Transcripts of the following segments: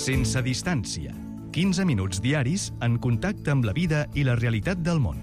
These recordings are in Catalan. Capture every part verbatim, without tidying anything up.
Sense distància. quinze minuts diaris en contacte amb la vida i la realitat del món.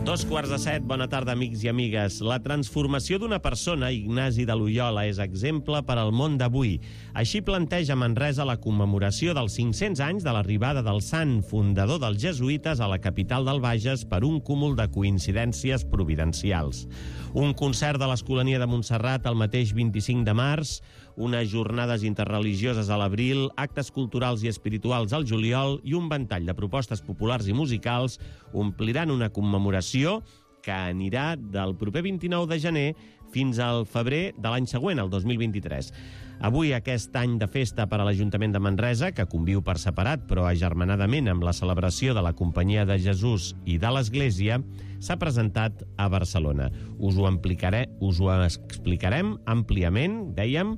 Dos quarts de set, bona tarda, amics i amigues. La transformació d'una persona, Ignasi de Loyola, és exemple per al món d'avui. Així planteja Manresa la commemoració dels cinc-cents anys de l'arribada del sant fundador dels jesuïtes a la capital del Bages per un cúmul de coincidències providencials. Un concert de l'Escolania de Montserrat el mateix vint-i-cinc de març, unes jornades interreligioses a l'abril, actes culturals i espirituals al juliol i un ventall de propostes populars i musicals ompliran una commemoració que anirà del proper vint-i-nou de gener fins al febrer de l'any següent, el dos mil vint-i-tres. Avui, aquest any de festa per a l'Ajuntament de Manresa, que conviu per separat però agermanadament amb la celebració de la Companyia de Jesús i de l'Església, s'ha presentat a Barcelona. Us ho, explicaré, us ho explicarem àmpliament, dèiem,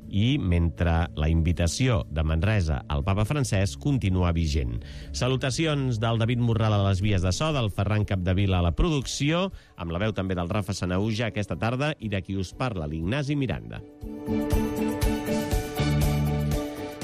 i mentre la invitació de Manresa al papa Francesc continua vigent. Salutacions del David Morral a les vies de so, del Ferran Capdevila a la producció, amb la veu també del Rafa Sanauja aquesta tarda i de qui us parla, l'Ignasi Miranda.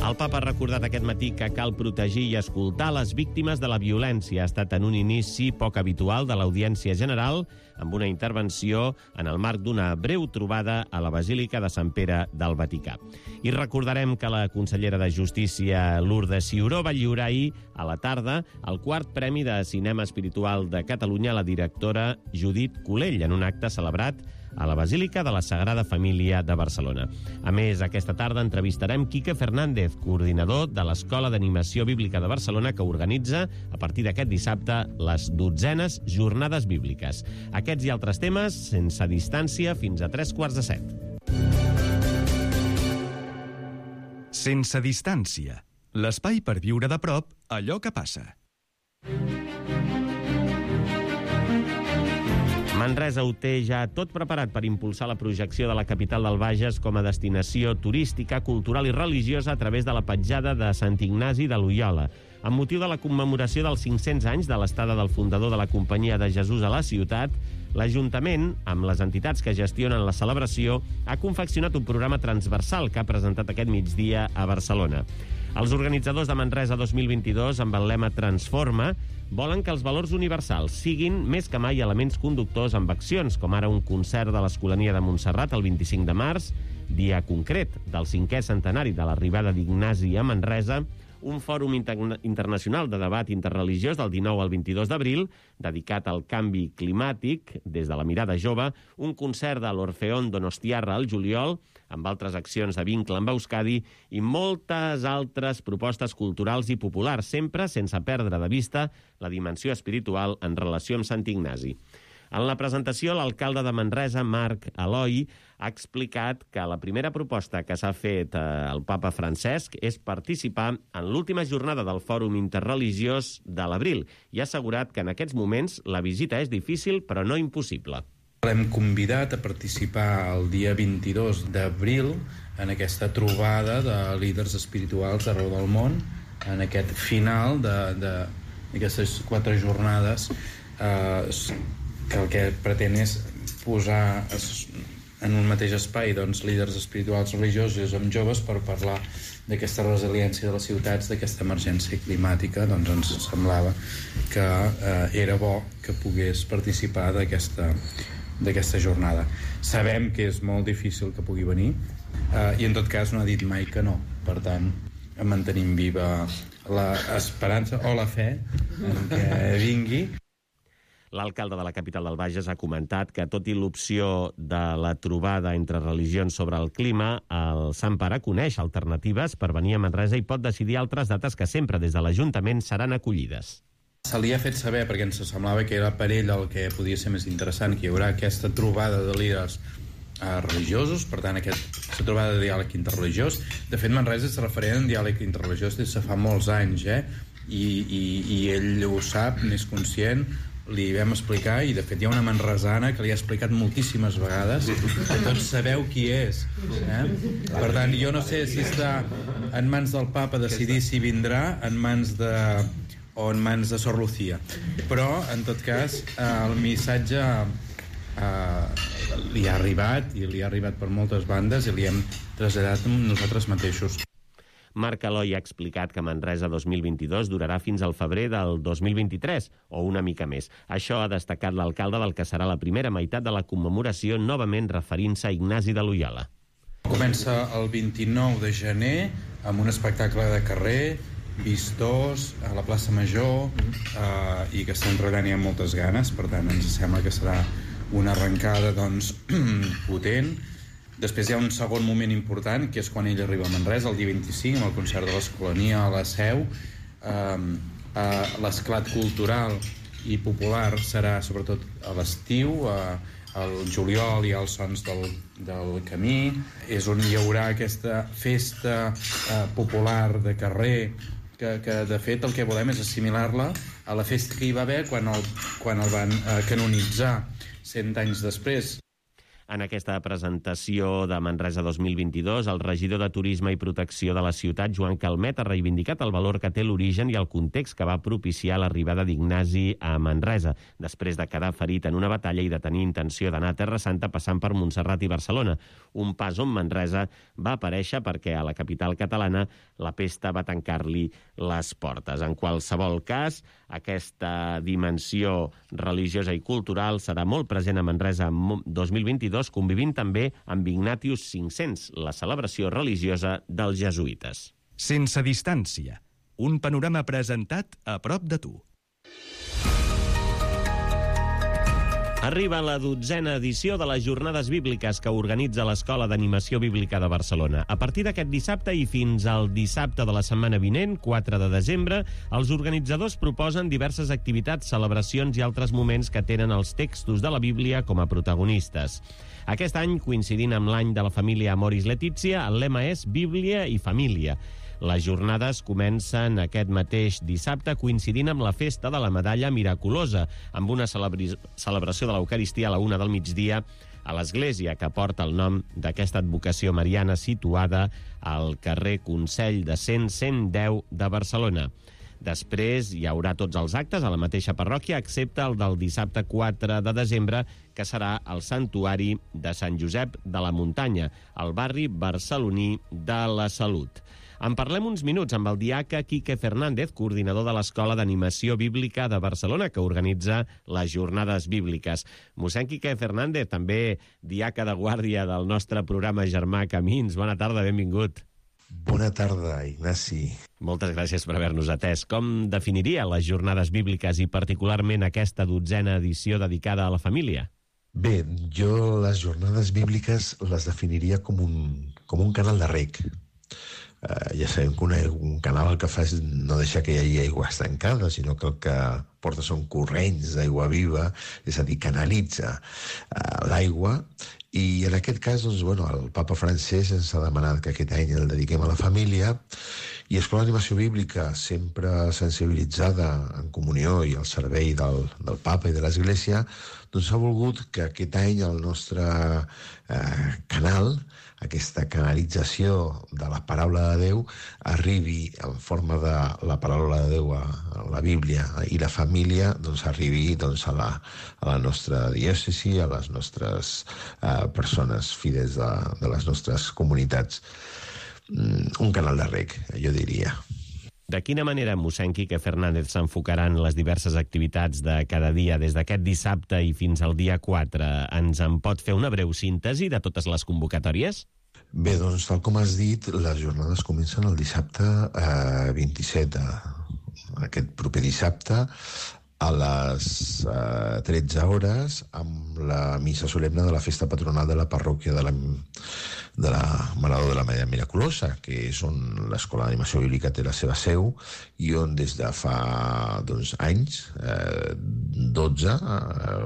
El papa ha recordat aquest matí que cal protegir i escoltar les víctimes de la violència. Ha estat en un inici poc habitual de l'Audiència General, amb una intervenció en el marc d'una breu trobada a la Basílica de Sant Pere del Vaticà. I recordarem que la consellera de Justícia, Lourdes Ciuró, va lliurar ahir a la tarda el quart Premi de Cinema Espiritual de Catalunya a la directora Judit Colell, en un acte celebrat a la Basílica de la Sagrada Família de Barcelona. A més, aquesta tarda entrevistarem Quique Fernández, coordinador de l'Escola d'Animació Bíblica de Barcelona, que organitza, a partir d'aquest dissabte, les dotzenes Jornades Bíbliques. Aquests i altres temes, sense distància, fins a tres quarts de set. Sense distància. L'espai per viure de prop allò que passa. Manresa ho té ja tot preparat per impulsar la projecció de la capital del Bages com a destinació turística, cultural i religiosa a través de la petjada de Sant Ignasi de Loyola. Amb motiu de la commemoració dels cinc-cents anys de l'estada del fundador de la Companyia de Jesús a la ciutat, l'Ajuntament, amb les entitats que gestionen la celebració, ha confeccionat un programa transversal que ha presentat aquest migdia a Barcelona. Els organitzadors de Manresa dos mil vint-i-dos, amb el lema Transforma, volen que els valors universals siguin més que mai elements conductors amb accions, com ara un concert de l'Escolania de Montserrat el vint-i-cinc de març, dia concret del cinquè centenari de l'arribada d'Ignasi a Manresa, un fòrum inter- internacional de debat interreligiós del dinou al vint-i-dos d'abril, dedicat al canvi climàtic des de la mirada jove, un concert de l'Orfeón Donostiarra al juliol, amb altres accions de vincle amb Euskadi i moltes altres propostes culturals i populars, sempre sense perdre de vista la dimensió espiritual en relació amb Sant Ignasi. En la presentació, l'alcalde de Manresa, Marc Aloi, ha explicat que la primera proposta que s'ha fet al papa Francesc és participar en l'última jornada del Fòrum Interreligiós de l'abril i ha assegurat que en aquests moments la visita és difícil però no impossible. L'hem convidat a participar el dia vint-i-dos d'abril en aquesta trobada de líders espirituals arreu del món, en aquest final d'aquestes quatre jornades eh, que el que pretén és posar en un mateix espai doncs, líders espirituals religiosos amb joves per parlar d'aquesta resiliència de les ciutats, d'aquesta emergència climàtica. Doncs ens semblava que eh, era bo que pogués participar d'aquesta d'aquesta jornada. Sabem que és molt difícil que pugui venir eh, i en tot cas no ha dit mai que no. Per tant, mantenim viva l'esperança o la fe en què vingui. L'alcalde de la capital del Bages ha comentat que, tot i l'opció de la trobada entre religions sobre el clima, el Sant Pare coneix alternatives per venir a Manresa i pot decidir altres dates que sempre des de l'Ajuntament seran acollides. Se li ha fet saber, perquè ens semblava que era per ell el que podia ser més interessant, que hi haurà aquesta trobada de líders eh, religiosos, per tant, aquesta trobada de diàleg interreligiós. De fet, Manresa és referent en diàleg interreligiós des de fa molts anys, eh? I, i, i ell ho sap, n'és conscient. Li vam explicar, i de fet hi ha una manresana que li ha explicat moltíssimes vegades, que tots sabeu qui és, eh? Per tant, jo no sé si està en mans del papa decidir si vindrà, en mans de o en mans de Sor Lucía, però en tot cas el missatge eh, li ha arribat, i li ha arribat per moltes bandes, i li hem traslladat amb nosaltres mateixos. Marc Eloi ha explicat que Manresa dos mil vint-i-dos durarà fins al febrer del dos mil vint-i-tres, o una mica més. Això ha destacat l'alcalde del que serà la primera meitat de la commemoració, novament referint-se a Ignasi de Loyola. Comença el vint-i-nou de gener amb un espectacle de carrer, vistós, a la plaça Major, eh, i que està enredant i amb moltes ganes, per tant ens sembla que serà una arrencada doncs, potent. Després hi ha un segon moment important, que és quan ell arriba a Manresa, el dia vint-i-cinc, amb el concert de l'Escolania a la Seu. Eh, eh, l'esclat cultural i popular serà sobretot a l'estiu, eh, al juliol hi ha els sons del, del camí, és on hi haurà aquesta festa eh, popular de carrer, que, que de fet el que volem és assimilar-la a la festa que hi va haver quan el, quan el van eh, canonitzar cent anys després. En aquesta presentació de Manresa dos mil vint-i-dos, el regidor de Turisme i Protecció de la ciutat, Joan Calmet, ha reivindicat el valor que té l'origen i el context que va propiciar l'arribada d'Ignasi a Manresa, després de quedar ferit en una batalla i de tenir intenció d'anar a Terra Santa passant per Montserrat i Barcelona. Un pas on Manresa va aparèixer perquè a la capital catalana la pesta va tancar-li les portes. En qualsevol cas, aquesta dimensió religiosa i cultural serà molt present a Manresa dos mil vint-i-dos, convivint també amb Ignatius cinc-cents, la celebració religiosa dels jesuïtes. Sense distància, un panorama presentat a prop de tu. Arriba la dotzena edició de les Jornades Bíbliques que organitza l'Escola d'Animació Bíblica de Barcelona. A partir d'aquest dissabte i fins al dissabte de la setmana vinent, quatre de desembre, els organitzadors proposen diverses activitats, celebracions i altres moments que tenen els textos de la Bíblia com a protagonistes. Aquest any, coincidint amb l'any de la família Amoris Laetitia, el lema és Bíblia i Família. Les jornades comencen aquest mateix dissabte coincidint amb la festa de la Medalla Miraculosa, amb una celebri- celebració de l'Eucaristia a la una del migdia a l'església que porta el nom d'aquesta advocació mariana situada al carrer Consell de Cent cent deu de Barcelona. Després hi haurà tots els actes a la mateixa parròquia, excepte el del dissabte quatre de desembre, que serà al Santuari de Sant Josep de la Muntanya, al barri barceloní de la Salut. En parlem uns minuts amb el diaca Quique Fernández, coordinador de l'Escola d'Animació Bíblica de Barcelona, que organitza les Jornades Bíbliques. Mossèn Quique Fernández, també diaca de guàrdia del nostre programa Germà Camins. Bona tarda, benvingut. Bona tarda, Ignasi. Moltes gràcies per haver-nos atès. Com definiria les Jornades Bíbliques i particularment aquesta dotzena edició dedicada a la família? Bé, jo les Jornades Bíbliques les definiria com un, com un canal de reg. Uh, ja sabem que un, un canal el que fa és no deixar que hi hagi aigua estancada, sinó que el que porta són corrents d'aigua viva, és a dir, canalitza uh, l'aigua. I en aquest cas, doncs, bueno, el papa francès ens ha demanat que aquest any el dediquem a la família, i Escola d'Animació Bíblica, sempre sensibilitzada en comunió i al servei del, del papa i de l'Església, doncs ha volgut que aquest any el nostre eh, canal, aquesta canalització de la paraula de Déu, arribi en forma de la paraula de Déu a, a la Bíblia, i la família doncs, arribi doncs, a, la, a la nostra diòcesi, a les nostres eh, persones fidels de, de les nostres comunitats. Un canal de reg, jo diria. De quina manera, mossèn Quique Fernández, s'enfocaran les diverses activitats de cada dia des d'aquest dissabte i fins al dia quatre? Ens en pot fer una breu síntesi de totes les convocatòries? Bé, doncs, tal com has dit, les jornades comencen el dissabte eh, vint-i-set, eh, aquest proper dissabte, a les eh, tretze hores, amb la missa solemne de la festa patronal de la parròquia de la, de la Mare de la Medalla Miraculosa, que és on l'Escola d'Animació Bíblica té la seva seu, i on des de fa doncs, anys, eh, dotze eh,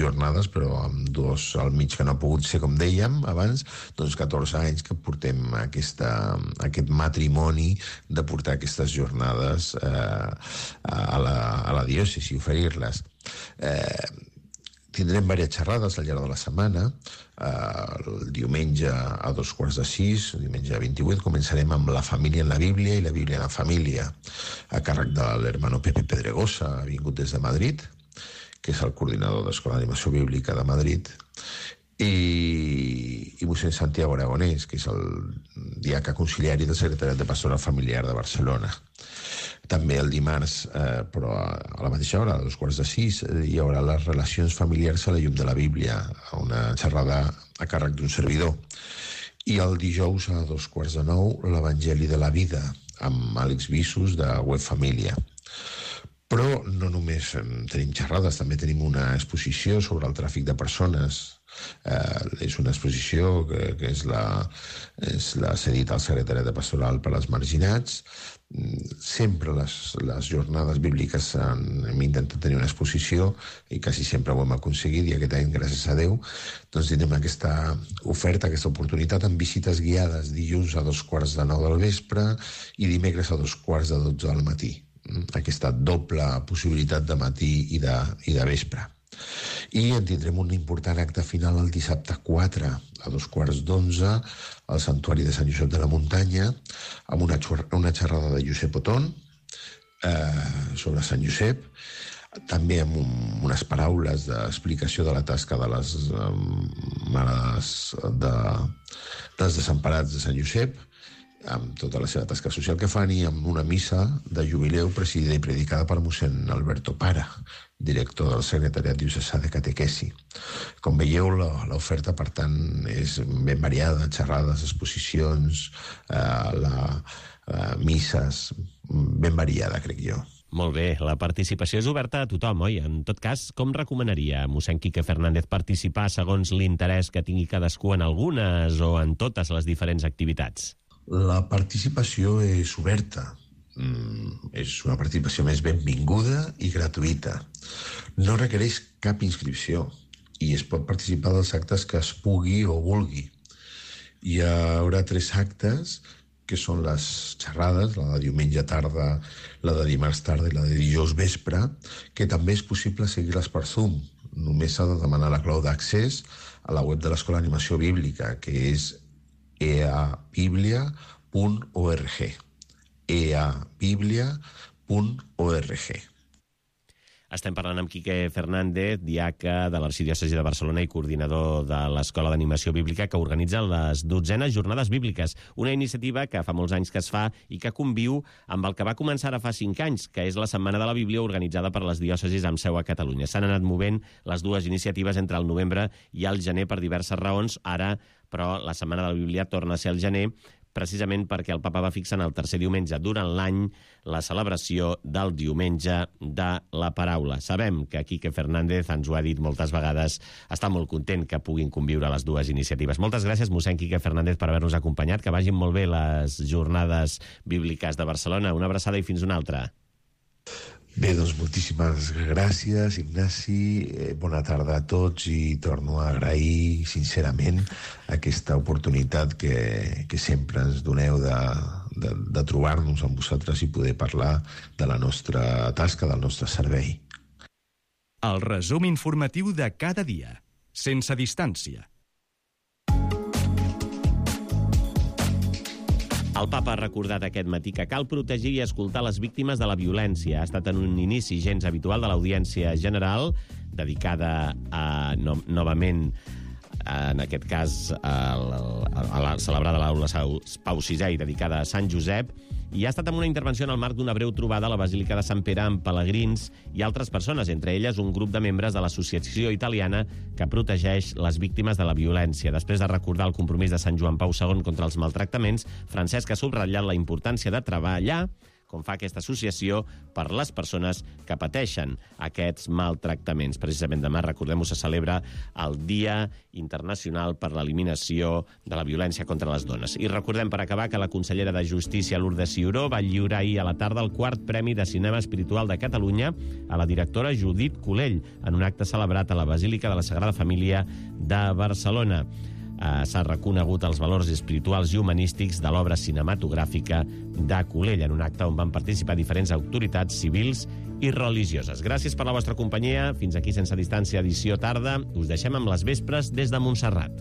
jornades, però amb dos al mig que no ha pogut ser, com dèiem abans, doncs catorze anys que portem aquesta, aquest matrimoni de portar aquestes jornades eh, a la, a la diòcesi, oferir-les. Eh, tindrem diverses xerrades al llarg de la setmana. Eh, el diumenge a dos quarts de sis, el diumenge vint-i-vuit, començarem amb la família en la Bíblia i la Bíblia en la família, a càrrec de l'hermano Pepe Pedregosa, vingut des de Madrid, que és el coordinador d'Escola d'Animació Bíblica de Madrid. i, i mossèn Santiago Aragonès, que és el diaca conciliari del Secretariat de Pastoral Familiar de Barcelona. També el dimarts, eh, però a la mateixa hora, a dos quarts de sis, hi haurà les relacions familiars a la llum de la Bíblia, una xerrada a càrrec d'un servidor. I el dijous a dos quarts de nou, l'Evangeli de la Vida, amb Àlex Bissus de Web Família. Però no només tenim xerrades, també tenim una exposició sobre el tràfic de persones. Eh, és una exposició que, que és la, és la cedit al Secretariat de Pastoral per als Marginats. Sempre les, les jornades bíbliques han, hem intentat tenir una exposició i quasi sempre ho hem aconseguit, i aquest any, gràcies a Déu, doncs tenim aquesta oferta, aquesta oportunitat amb visites guiades dilluns a dos quarts de nou del vespre i dimecres a dos quarts de dotze del matí. Aquesta doble possibilitat de matí i de, i de vespre. I en tindrem un important acte final el dissabte quatre a dos quarts d'onze al Santuari de Sant Josep de la Muntanya, amb una, una xerrada de Josep Otón eh, sobre Sant Josep, també amb un, unes paraules d'explicació de la tasca de les eh, mares de, dels desemparats de Sant Josep, amb tota la seva tasca social que fan, i amb una missa de jubileu presidida i predicada per mossèn Alberto Para, director del Secretariat Diocesà de Catequesi. Com veieu, l'oferta, per tant, és ben variada, xerrades, exposicions, eh, la, eh, misses, ben variada, crec jo. Molt bé, la participació és oberta a tothom, oi? En tot cas, com recomanaria mossèn Quique Fernández participar segons l'interès que tingui cadascú en algunes o en totes les diferents activitats? La participació és oberta. Mm, és una participació més benvinguda i gratuïta. No requereix cap inscripció i es pot participar dels actes que es pugui o vulgui. Hi haurà tres actes, que són les xerrades, la de diumenge tarda, la de dimarts tarda i la de dijous vespre, que també és possible seguir-les per Zoom. Només s'ha de demanar la clau d'accés a la web de l'Escola d'Animació Bíblica, que és e a biblia punt org. e a biblia punt org. Estem parlant amb Quique Fernández, diaca de l'Arxidiòcesi de Barcelona i coordinador de l'Escola d'Animació Bíblica, que organitza les dotzenes Jornades Bíbliques, una iniciativa que fa molts anys que es fa i que conviu amb el que va començar ara fa cinc anys, que és la Setmana de la Bíblia organitzada per les diòcesis amb seu a Catalunya. S'han anat movent les dues iniciatives entre el novembre i el gener per diverses raons. Ara, però, la Setmana de la Bíblia torna a ser al gener, precisament perquè el papa va fixar en el tercer diumenge durant l'any la celebració del diumenge de la paraula. Sabem que Quique Fernández ens ho ha dit moltes vegades, està molt content que puguin conviure les dues iniciatives. Moltes gràcies, mossèn Quique Fernández, per haver-nos acompanyat, que vagin molt bé les jornades bíbliques de Barcelona. Una abraçada i fins una altra. Bé, doncs moltíssimes gràcies, Ignasi. Eh, bona tarda a tots i torno a agrair sincerament aquesta oportunitat que, que sempre ens doneu de, de, de trobar-nos amb vosaltres i poder parlar de la nostra tasca, del nostre servei. El resum informatiu de cada dia, sense distància. El papa ha recordat aquest matí que cal protegir i escoltar les víctimes de la violència. Ha estat en un inici gens habitual de l'Audiència General, dedicada a, no, novament, en aquest cas, a, a, a la celebrada a l'Aula Pau sisè i dedicada a Sant Josep, i ha estat amb una intervenció en el marc d'una breu trobada a la Basílica de Sant Pere amb pelegrins i altres persones, entre elles un grup de membres de l'associació italiana que protegeix les víctimes de la violència. Després de recordar el compromís de Sant Joan Pau segon contra els maltractaments, Francesc ha subratllat la importància de treballar, com fa aquesta associació, per les persones que pateixen aquests maltractaments. Precisament demà, recordem-ho, se celebra el Dia Internacional per l'Eliminació de la Violència contra les Dones. I recordem, per acabar, que la consellera de Justícia, Lourdes Ciuró, va lliurar ahir a la tarda el quart Premi de Cinema Espiritual de Catalunya a la directora Judit Colell, en un acte celebrat a la Basílica de la Sagrada Família de Barcelona. Uh, s'ha reconegut els valors espirituals i humanístics de l'obra cinematogràfica de Colell, en un acte on van participar diferents autoritats civils i religioses. Gràcies per la vostra companyia. Fins aquí, Sense Distància, edició tarda. Us deixem amb les vespres des de Montserrat.